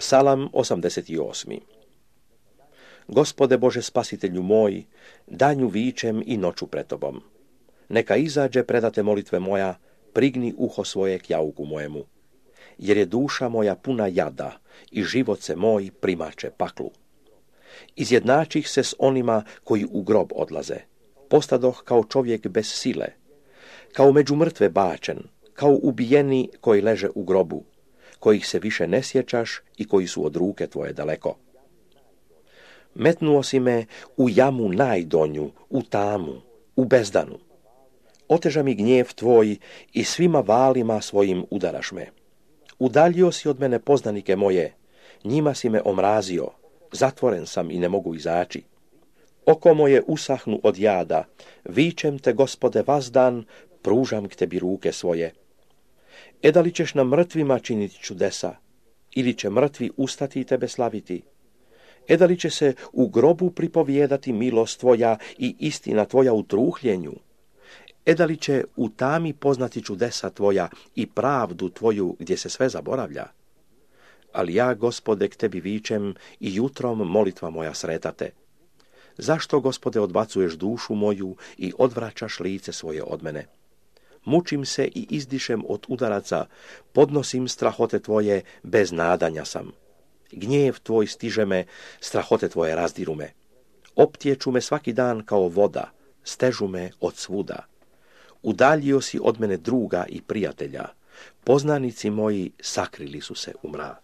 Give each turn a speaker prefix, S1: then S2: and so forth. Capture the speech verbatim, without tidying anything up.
S1: Psalam osamdeset osam. Gospode Bože spasitelju moj, danju vičem i noću pred tobom. Neka izađe predate molitve moja, prigni uho svoje k jauku mojemu. Jer je duša moja puna jada i život se moj primače paklu. Izjednačih se s onima koji u grob odlaze. Postadoh kao čovjek bez sile, kao među mrtve bačen, kao ubijeni koji leže u grobu, kojih se više ne sjećaš i koji su od ruke tvoje daleko. Metnuo si me u jamu najdonju, u tamu, u bezdanu. Oteža mi gnjev tvoj i svima valima svojim udaraš me. Udaljio si od mene poznanike moje, njima si me omrazio, zatvoren sam i ne mogu izaći. Oko moje usahnu od jada, vičem te, Gospode, vazdan, pružam k tebi ruke svoje. E da li ćeš na mrtvima činiti čudesa, ili će mrtvi ustati i tebe slaviti? E da li će se u grobu pripovijedati milost tvoja i istina tvoja u truhljenju? E da li će u tami poznati čudesa tvoja i pravdu tvoju gdje se sve zaboravlja? Ali ja, Gospode, k tebi vičem i jutrom molitva moja sretate. Zašto, Gospode, odbacuješ dušu moju i odvraćaš lice svoje od mene? Mučim se i izdišem od udaraca, podnosim strahote tvoje, bez nadanja sam. Gnjev tvoj stiže me, strahote tvoje razdiru me. Optječu me svaki dan kao voda, stežu me od svuda. Udaljio si od mene druga i prijatelja, poznanici moji sakrili su se u mrak.